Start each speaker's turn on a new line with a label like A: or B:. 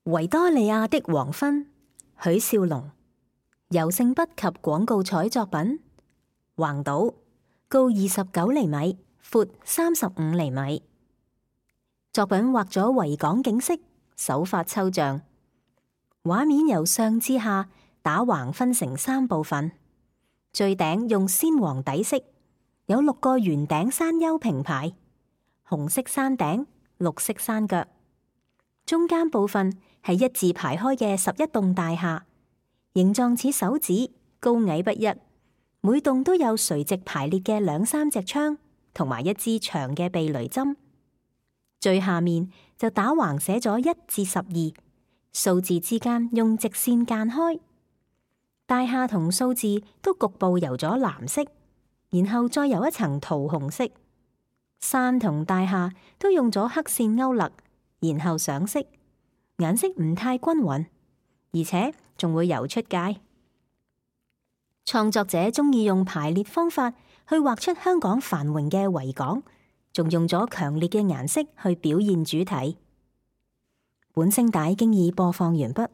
A: 維多利亞的黃昏，許少龍。油性筆及廣告彩作品。橫島，高29厘米，闊35厘米。作品畫咗維港景色，手法抽象。畫面由上至下打橫分成3部分，最頂用鮮黃底色，有6個圓頂山丘平排，紅色山頂，綠色山腳。中間部分係一字排開嘅11棟大廈，形狀似手指，高矮不一。每棟都有垂直排列嘅2、3隻窗，同埋一支長嘅避雷針。最下面就打橫寫咗1至12，數字之間用直線間開。大廈同數字都局部油咗藍色，然後再油一層桃紅色。山同大廈都用咗黑線勾勒，然後上色，顏色唔太均勻，而且仲會油出界。創作者中意用排列方法去畫出香港繁榮嘅維港，仲用咗強烈嘅顏色去表現主題。本聲帶經已播放完畢。